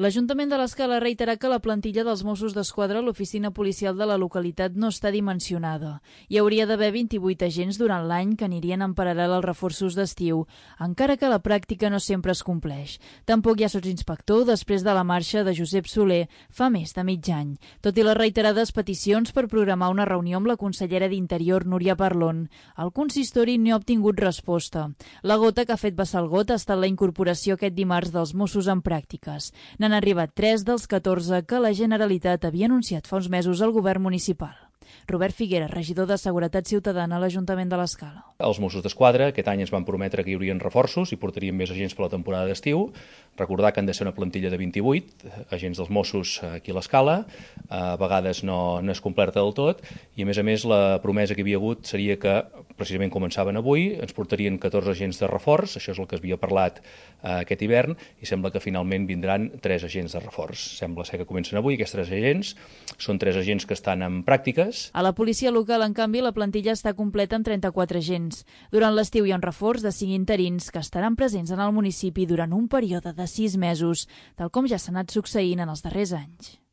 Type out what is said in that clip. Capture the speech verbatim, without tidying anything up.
L'Ajuntament de l'Escala ha reiterat que la plantilla dels Mossos d'Esquadra a l'oficina policial de la localitat no està dimensionada. Hi hauria d'haver vint-i-vuit agents durant l'any que anirien en paral·lel als reforços d'estiu, encara que la pràctica no sempre es compleix. Tampoc hi ha sotsinspector després de la marxa de Josep Soler fa més de mig any. Tot i les reiterades peticions per programar una reunió amb la consellera d'Interior, Núria Parlon, el consistori no ha obtingut resposta. La gota que ha fet vessar el got ha estat la incorporació aquest dimarts dels Mossos en pràctiques. N'han arribat tres dels catorze que la Generalitat havia anunciat fa uns mesos al govern municipal. Robert Figuera, regidor de Seguretat Ciutadana a l'Ajuntament de l'Escala. Els Mossos d'Esquadra aquest any ens van prometre que hi haurien reforços i portarien més agents per la temporada d'estiu. Recordar que han de ser una plantilla de vint-i-vuit agents dels Mossos aquí a l'Escala. A vegades no, no és completa del tot i, a més a més, la promesa que hi havia hagut seria que, precisament començaven avui, ens portarien catorze agents de reforç, això és el que es havia parlat eh, aquest hivern, i sembla que finalment vindran tres agents de reforç. Sembla ser que comencen avui aquests tres agents. Són tres agents que estan en pràctiques. A la policia local, en canvi, la plantilla està completa amb trenta-quatre agents. Durant l'estiu hi ha un reforç de cinc interins que estaran presents en el municipi durant un període de sis mesos, tal com ja s'ha anat succeint en els darrers anys.